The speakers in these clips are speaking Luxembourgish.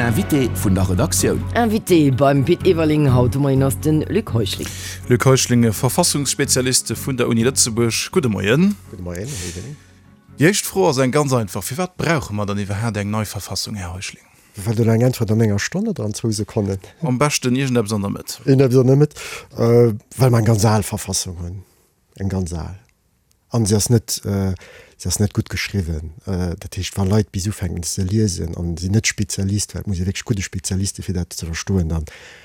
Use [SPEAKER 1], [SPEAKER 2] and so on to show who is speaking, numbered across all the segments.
[SPEAKER 1] Invité vun der Redaktioun.
[SPEAKER 2] Invité beim Pit Everling haut de Moien ass de Luc Heuschling.
[SPEAKER 3] Luc Heuschling, Verfassungsspezialist vun der Uni Lëtzebuerg. Gudde Moien.
[SPEAKER 4] Gudde Moien, Här Everling.
[SPEAKER 3] Déi éischt Fro ass eng ganz einfach, Firwat brauche mer dann iwwerhaat eng nei Verfassung, Här Heuschling?
[SPEAKER 4] Wëllt Der elo eng Äntwert an enger Stonn oder an zwou Sekonnen?
[SPEAKER 3] Am beschten iergendeppes an der Mëtt.
[SPEAKER 4] Iergendeppes an der Mëtt. Well mer eng ganz al Verfassung hunn. Eng ganz al. An se ass net, se ass net gutt geschriwwen. Dat heescht, wa Leit bis ufänken se ze liesen an sinn net Spezialist, well et muss ee wierklech gudde Spezialist si fir dat ze verstoen, da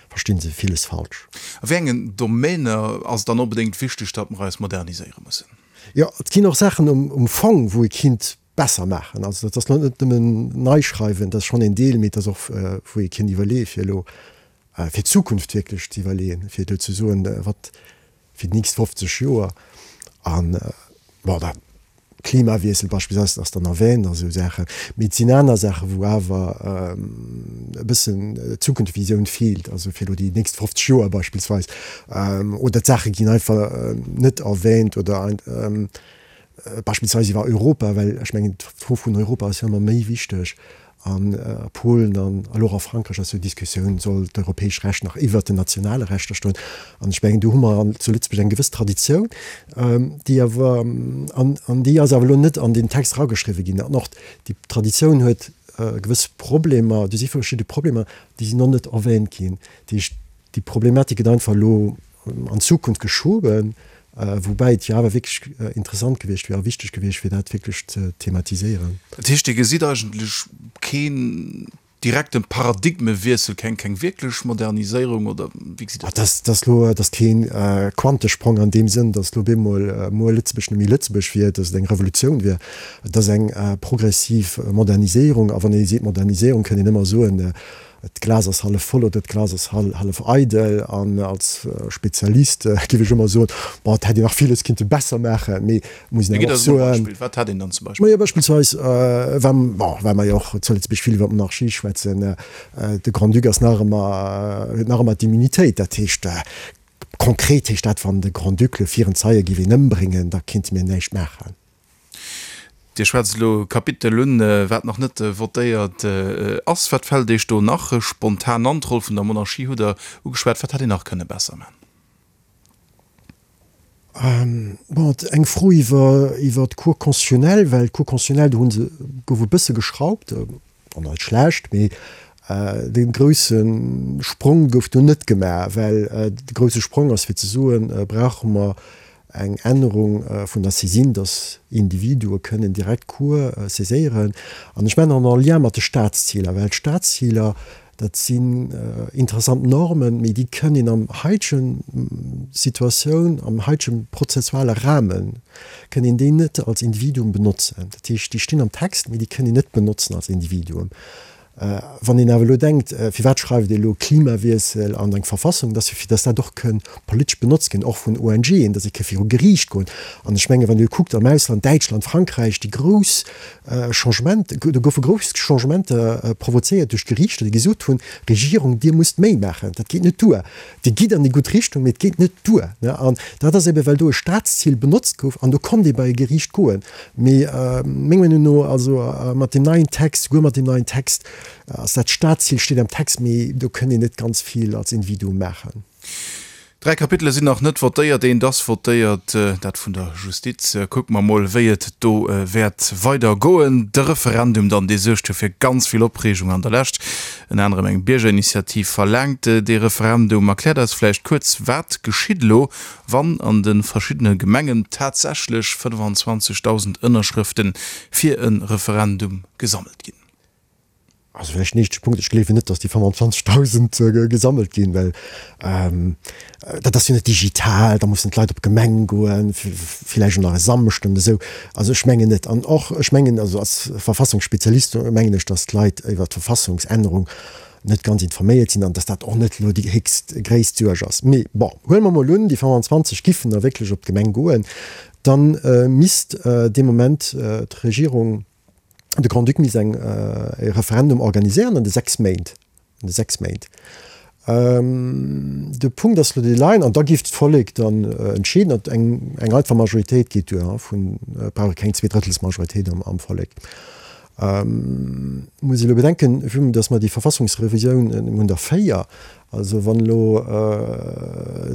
[SPEAKER 4] versti se villes falsch.
[SPEAKER 3] A wéi engen Domainer ass et dann onbedéngt wichteg, datt mer eis moderniséiere mussen?
[SPEAKER 4] Jo, et ginn och Saachen um Fong, wou ee kinnt besser maachen. Also dat ass net nëmmen nei schreiwen, dat ass schonn een Deel, mee et ass och, wou ee kinnt iwwerleeë fir elo fir d'Zukunft wierklech ze iwwerleeën, fir elo ze soen, wat fir déi nächst 50 Joer an, bon, da Klimawiessel beispillsweis ass dann erwähnt a sou Saachen, mee et sinn aner Saachen, wou awer e bëssen d'Zukunftsvisioun feelt, also fir elo déi nächst 50 Joer beispillsweis, oder d'Saache ginn einfach net erwähnt oder beispillsweis iwwer Europa, well ech mengen d'Fro vun Europa ass jo ëmmer méi wichteg an a Polen an elo och a Frankräich ass jo d'Diskussioun, soll d'europäesch Recht nach iwwert den nationale Rechter stoen? An ech mengen do hu mer an zu Lëtzebuerg eng gewëss Traditioun, déi awer, an an déi ass awer elo net an deen Text erageschriwwen ginn. An och déi Traditioun huet gewëss Problemer, do si verschidde Problemer, déi sinn och net erwähnt ginn. Dat heescht, déi Problematik gëtt einfach elo an d'Zukunft geschoben, woubäi et jo awer wierklech interessant gewiescht wier a wichteg gewiescht wier, dat wierklech ze thematiséieren.
[SPEAKER 3] Dat heescht, Dir gesitt eigentlech keen direkte Paradigmewiessel, keng keng wierklech Moderniséierung, oder wéi gesitt
[SPEAKER 4] Dir dat? Dat ass elo, dat ass kee Quantesprong an deem Sënn, datt elo op eemol muer Lëtzebuerg net méi Lëtzebuerg wier, datt et eng Revolutioun wier. Et ass eng progressiv Moderniséierung. A wann ee seet Moderniséierung, kënnt een ëmmer soen, D'Glas ass hallef voll oder d'Glas ass hallef eidel. An als Spezialist géif ech ëmmer soen, bon, et hätt een nach villes kinnte besser maachen, mee et muss een awer och soen.
[SPEAKER 3] Wat hätt een dann zum Beispill?
[SPEAKER 4] Majo, beispillsweis, wa, bon, well mer jo och zu Lëtzebuerg vill iwwer d'Monarchie schwätzen, de Grand-Duc ass nach ëmmer, huet nach ëmmer d'Immunitéit. Dat heescht, konkret heescht dat, wann de Grand-Duc elo viren Zeie géif een ëmbréngen, da kinnte mir näischt maachen.
[SPEAKER 3] Dir schwätzt elo e Kapitel un, wat nach net votéiert ass. Wat fält Iech do nach spontan an? D'Roll vun der Monarchie hutt Der ugeschwat. Wat hätt een nach kënne besser man?
[SPEAKER 4] Bon, eng Fro iwwer iwwer d'Cour constitutionnelle, well d'Cour constitutionnelle, do hu se, gouf e bësse geschraubt, och net schlecht, mee de grousse Sprong gouf do net gemaach, well de grousse Sprong ass fir ze soen, brauche mer eng Ännerung vun der Saisine, dass Individue kënnen direkt d'Cour saiséieren. An ech mengen en lien mat de Staatsziler, well d'Staatsziler, dat sinn interessant Normen, mee déi kënn een am haitegen Situatioun, am haitege prozessuale Rahmen, kënn een déi net als Individuum benotzen. Dat heescht, déi stinn am Text, mee déi kënn een net benotzen als Individuum. Wann een awer elo denkt, firwat schreift ee elo Klimawiessel an eng Verfassung, dat ass jo fir datt dat och kënn politesch benotzt ginn, och vun ONGen, datt ee ka viru Geriicht goen. An ech mengen, wann Dir kuckt am Ausland, Däitschland, Frankräich, déi grouss Changement, do goufe grouss Changementer provozéiert duerch d'Geriichter, déi gesot hunn, Regierung, Dir musst méi maachen, dat geet net duer. Dir gitt an déi gutt Richtung, mee et geet net duer. An dat ass ebe well do e Staatszil benotzt gouf an do konnt ee bei e Geriicht goen. Mee meng Meenung no, also mat deem neien Text, souguer mat deem neien Text, ass dat Staatszil steet am Text, mee do kënnt een net ganz vill als Individuum maachen.
[SPEAKER 3] Dräi Kapitele sinn nach net votéiert, eent ass votéiert, dat vun der Justiz. Kucke mer mol, wéi et do wäert weider goen. De Referendum dann, dee suergt jo fir ganz vill Opreegung an der Lescht. Ënner anerem eng Biergerinitiativ verlaangt dee Referendum. Erkläert eis vläicht kuerz, wat geschitt elo, wann an de verschiddene Gemengen tatsächlech 25.000 Ënnerschrëfte fir e Referendum gesammelt ginn?
[SPEAKER 4] Also vläicht den éischte Punkt, Ech gleewen net, datt déi 25.000 gesammelt ginn, well dat ass jo net digital, da mussen d'Leit op d'Gemeng goen, villäicht och nach e Samschden oder esou. Also ech mengen net. An och ech mengen, also als Verfassungsspezialist mengen ech, datt d'Leit iwwer d'Verfassungsännerung net ganz informéiert sinn an datt dat och net elo déi héchst gréisst Suerg ass. Mee bon, huele mer mol un, déi 25 giffen da wierklech op d'Gemeng goen, da misst dee Moment d'Regierung, de Grand-Duc misst eng e Referendum organiséieren an de 6 Méint, an de 6 Méint. De Punkt ass elo dee leien, an da géif d'Vollek dann entscheeden, an eng eng einfach Majoritéit geet duer, vun, brauch ee keng Zweedrëttelsmajoritéit am am Vollek. Muss ee elo bedenken, vue dass mer déi Verfassungsrevisioun, mir hunn der 4, also wann elo,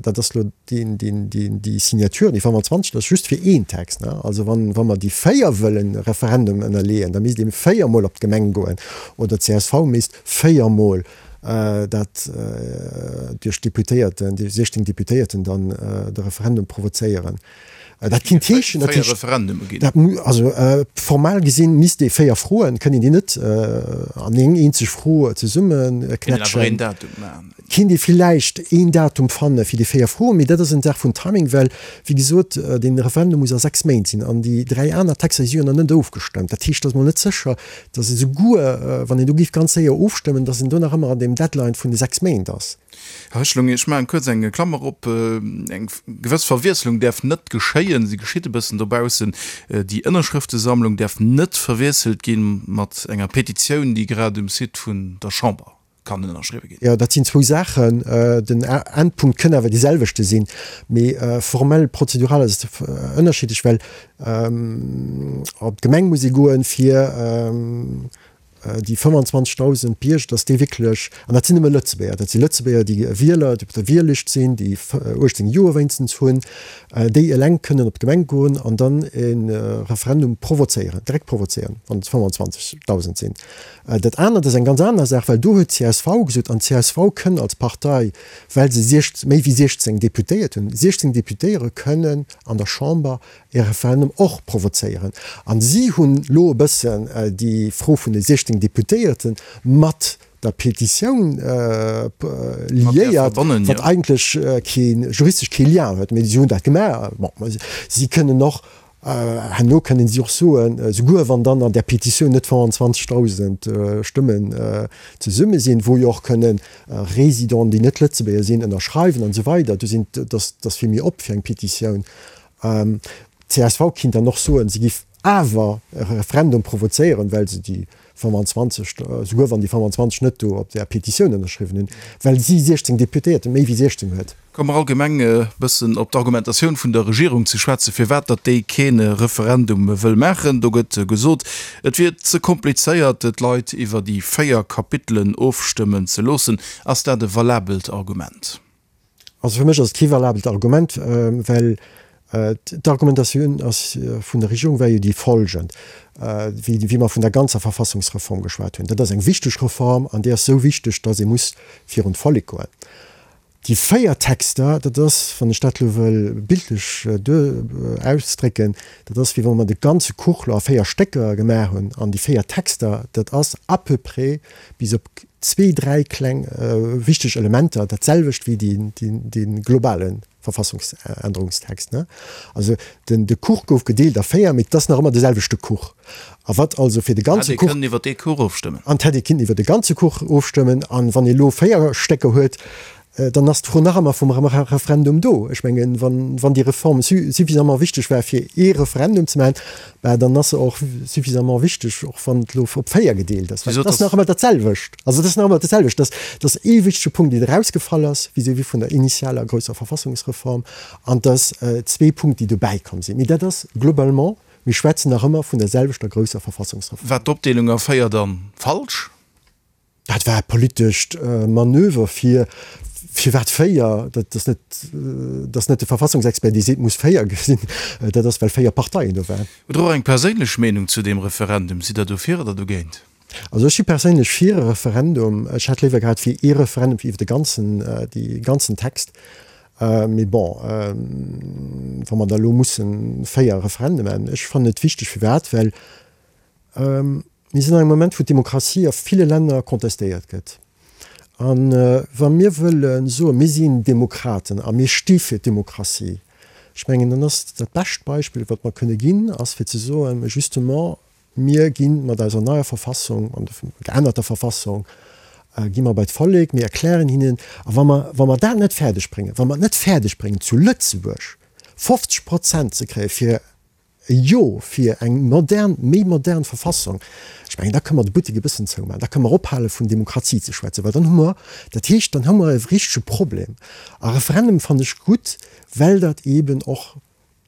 [SPEAKER 4] dat ass elo déi Signature, déi 25, dat ass just fir een Text, ne? Also wann, wa mer déi 4 wëllen Referendum ënnerleeën, da misst ee véiermol op d'Gemeng goen oder d'CSV misst véiermol dat duerch d'Deputéierten, déi 16 Deputéierten dann de Referendum provozéieren. Dat kinnt heeschen, dat heescht, dat mu, also formal gesinn misst ee 4 Froen, kënnt een déi net an eng eenzeg Fro zesummeknätschen. Kinnt ee villäicht een Datum fanne fir déi 4 Froen, mee dat ass eng Saach vun Timing, well wéi gesot, dee Referendum muss a 6 Méint sinn an déi 3 aner Texter déi si jo nach net ofgestëmmt. Dat heescht, et ass mol net sécher, datt esouguer wann een do géif ganz séier ofstëmmen, datt een do nach ëmmer an deem Deadline vun de 6 Méint ass.
[SPEAKER 3] Här Heuschling, ech maachen kuerz eng Klammer op. Eng gewëss Verwiesslung däerf net geschéien, se geschitt e bëssen dobaussen. Déi Ënnerschrëftesammlung däerf net verwiesselt gi mat enger Petitioun, déi grad um Site vun der Chamber kann ënnerschriwwe ginn.
[SPEAKER 4] Jo, dat sinn zwou Saachen. Den Endpunkt kënn awer dee selwechte sinn, mee formell, prozedural ass et ënnerschiddlech, well op d'Gemeng muss ee goen, fir déi 25.000 Bierger, dass déi wierklech, an dat sinn nëmme Lëtzebuerger, dat si Lëtzebuerger, déi Wieler, déi op der Wiellëscht sinn, déi 18 Joer wéinstens hunn, déi eleng kënnen op d'Gemeng goen an dann e Referendum provozéieren, direkt provozéieren, wann et 25.000 sinn. Dat anert ass eng ganz aner Saach, well do huet d'CSV gesot, an d'CSV kënn als Partei, well se méi wéi 16 Deputéiert hunn, 16 Deputéiere kënnen an der Chamber e Referendum och provozéieren. An si hunn elo e bëssen déi Fro vun de 16 Deputéierte mat der Petitioun liéiert, wat eigentlech kee juristesch kee Lien huet. Mee si hunn dat gemaach. Bon, si kënnen och herno kënnen si och soen, souguer wann dann an där Petitioun net 25.000 Stëmmen zesumme sinn, wou jo och kënnen Résidenten, déi net Lëtzebuerger sinn, ënnerschreiwen an esou weider, do sinn, dat ass vill méi op fir eng Petitioun. D'CSV kinnt dann och soen, si giff awer e Referendum provozéieren, well se déi 25, souguer wann déi 25 net do op där Petitioun ënnerschriwwen hunn, well si 16 Deputéierte méi wéi 16 huet.
[SPEAKER 3] Komme mer allgemeng e bëssen op d'Argumentatioun vun der Regierung ze schwätzen, firwat datt déi kee Referendum wëll maachen. Do gëtt gesot, et wier ze komplizéiert, d'Leit iwwer déi 4 Kapitelen ofstëmmen ze loossen. Ass dat e valabelt Argument?
[SPEAKER 4] Also fir mech ass et kee valabelt Argument, well d'Argumentatioun ass vun der Regierung war jo déi folgend, wéi wéi mer vun der ganzer Verfassungsreform geschwat hunn, dat ass eng wichteg Reform an déi ass esou wichteg, datt ee muss virun d'Vollek goen. Déi 4 Texter, dat ass, wann ech dat elo wëll bildlech duer ausdrécken, dat ass wéi wa mer de ganze Kuch elo a 4 Stécker gemaach hunn an déi 4 Texter, dat ass à peu près bis op zwee, dräi kleng wichteg Elementer, dat selwecht wéi dee globale Verfassungsännerungstext. Also den de Kuch gouf gedeelt a 4, mee et ass nach ëmmer de selwechte Kuch. A wat also fir de ganze
[SPEAKER 3] Kuch. Hätt ee kënnen iwwer dee Kuch ofstëmmen.
[SPEAKER 4] An hätt ee kënnen iwwer de ganze Kuch ofstëmmen. An wann ee elo 4 Stécker huet, dann ass d'Fro nach ëmmer vum Referendum do. Ech mengen, wann déi Reform suffisamment wichteg war, fir ee Referendum ze maachen, bah, dann ass se och suffisamment wichteg, och wann et elo op 4 gedeelt ass. Well et ass nach ëmmer dat selwecht. Also et ass nach ëmmer dat selwecht. Dat ass ee wichtege Punkt, deen erausgefall ass vis-à-vis vun der initialer grousser Verfassungsreform, an et ass zwee Punkte, déi dobäikomm sinn. Mee dat ass globalement, mir schwätzen nach ëmmer vun der selwechter grousser Verfassungsreform.
[SPEAKER 3] War d'Opdeelung a 4 dann falsch?
[SPEAKER 4] Dat war e politescht Manöver fir, firwat 4? Dat ass net, dat ass net de Verfassungsexpert, dee seet, et muss 4 sinn. Dat ass, well 4 Parteien do waren.
[SPEAKER 3] Hutt Der och eng perséinlech Meenung zu deem Referendum? Sidd Der dofir oder dogéint?
[SPEAKER 4] Also ech si perséinlech fir e Referendum. Ech hätt léiwer gehat fir ee Referendum fir iwwer de ganzen, dee ganzen Text. Mee bon, wa mer da elo mussen 4 Referende maachen, ech fannen et wichteg. Firwat? Well Mir sinn an engem Moment, wou d'Demokratie a ville Länner contestéiert gëtt. A wa mir wëlle soen, mir sinn Demokraten a mir sti fir d'Demokratie, ech mengen, dann ass dat bescht Beispill, wat mer kënne ginn, ass fir ze soen, justement, mir gi mat eiser neier Verfassung, an der geännerter Verfassung, gi mer bei d'Vollek, mir erklären hinnen, a wa mer, wa mer dat net fäerdeg bréngen, wa mer et net fäerdeg bréngen zu Lëtzebuerg 50 Prozent ze kréie fir E Jo fir eng modern, méi modern Verfassung, ech mengen, da kënne mer de Buttek e bëssen zoumaachen, da kënne mer ophale vun Demokratie ze schwätzen, well dann hu mer, dat heescht, dann hu mer e richtege Problem. A Referendum fannen ech gutt, well dat eeben och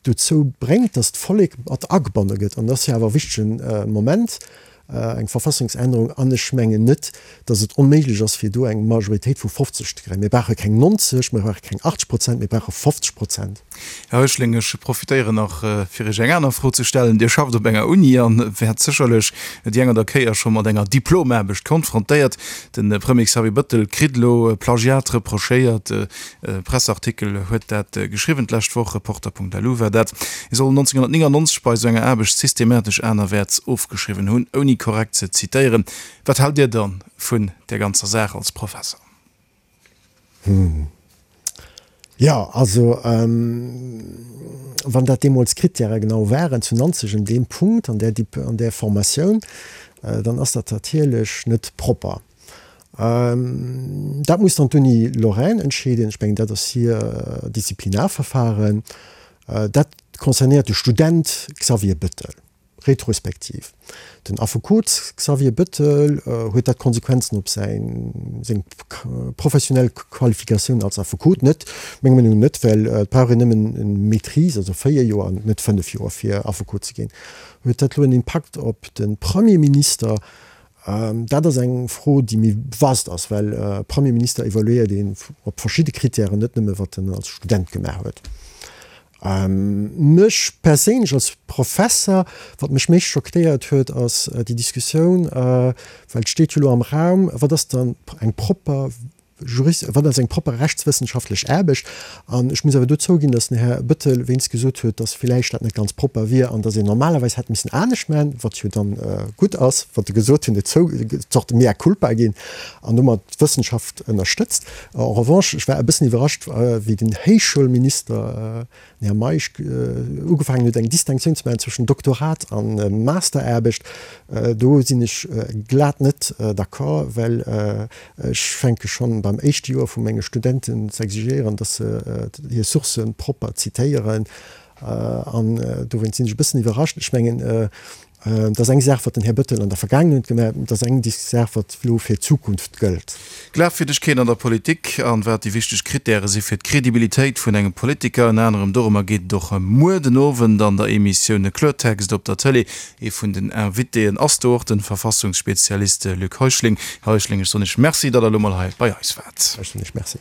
[SPEAKER 4] dozou bréngt, datt d'Vollek mat agebonne gëtt. An dat ass jo awer e wichtege Moment. Eng Verfassungsännerung, an ech mengen net, datt et onméiglech ass, fir do eng Majoritéit vu 50 ze kréien. Mir brauche keng 90, mir brauche keng 80 Prozent, mir brauche 50 Prozent.
[SPEAKER 3] Här Heuschling, ech profitéieren nach, fir Iech eng aner Fro ze stellen. Dir schafft op enger Uni a wäert sécherlech déi eng oder Kéier scho mat enger Diplomaarbecht konfrontéiert. De Premier Xavier Bëttel kritt elo Plagiat reprochéiert. E Presseartikel huet dat geschriwwen d'lescht Woch, Reporter.lu war dat. Hie soll 1999 bei esou enger Aarbecht systematesch anerwäerts ofgeschriwwen hunn, ouni korrekt ze zitéieren. Wat haalt Dir dann vun där ganzer Saach als Professer?
[SPEAKER 4] Hm. Jo, also wann dat deemools d'Krittäre genau waren zu Nanzeg un deem Punkt, an där an där Formatioun, dann ass dat natierlech net propper. Dat muss dann d'Uni Lorraine entscheeden. Ech mengen, dat ass hir Disziplinarverfahren. Dat concernéiert de Student Xavier Bettel retrospektiv. Den Affekot Xavier Bettel, huet dat Konsequenzen op säin, seng professionell Qualifikatioun als Affekot? Net, menger Meenung no net, well et brauch een nëmmen eng Maîtrise, also 4 Joer an net 5 Joer fir Affekot ze ginn. Huet dat elo en Impakt op de Premierminister? Dat ass eng Fro, déi méi vast ass, well e Premierminister evaluéiert een op verschidde Krittären, net nëmme wat en als Student gemaach huet. Mech perséinlech als Professer, wat mech méi schockéiert huet, ass déi Diskussioun, well et steet jo elo am Raum, wat ass dann eng propper Jurist, wat ass eng propper rechtswëssenschaftlech Aarbecht? An ech muss awer do zouginn, datt den Här Bettel wéinst gesot huet, datt villäicht dat net ganz propper wier an datt een normalerweis hätt missen anescht maachen, wat jo dann gutt ass, wat e gesot hunn, et zou Zorte mea culpa ginn an domat d'Wëssenschaft ënnerstëtzt. En revanche, ech war e bëssen iwwerrascht, wéi den Héichschoulminister, Den Här Meisch ugefaangen huet eng Distinctioun ze maachen zwëschen Doktorat a Masteraarbecht, do sinn ech glat net d'accord, well ech fänke schonn beim éischte Joer vu menge Studenten ze exigéieren, dass se hir Sourcë propper zitéieren. An dowéinst sinn ech e bëssen iwwerrascht. Ech mengen, Et ass eng Saach, wat den Här Bettel an der Vergaangenheet gemaach huet, et ass eng Saach, wat elo fir d'Zukunft gëllt.
[SPEAKER 3] Glafwierdegkeet an der Politik an wat déi wichteg Krittäre si fir d'Credibilitéit vun engem Politiker. Ënner anerem dorëmmer geet et och muer den Owend an der Emissioun Kloertext op der Tëlee. Ee vun den Invitéen ass do och de Verfassungsspezialist Luc Heuschling. Här Heuschling, ech soen Iech Merci, datt Der elo mol hei bei eis waart.
[SPEAKER 4] Ech soen Iech Merci.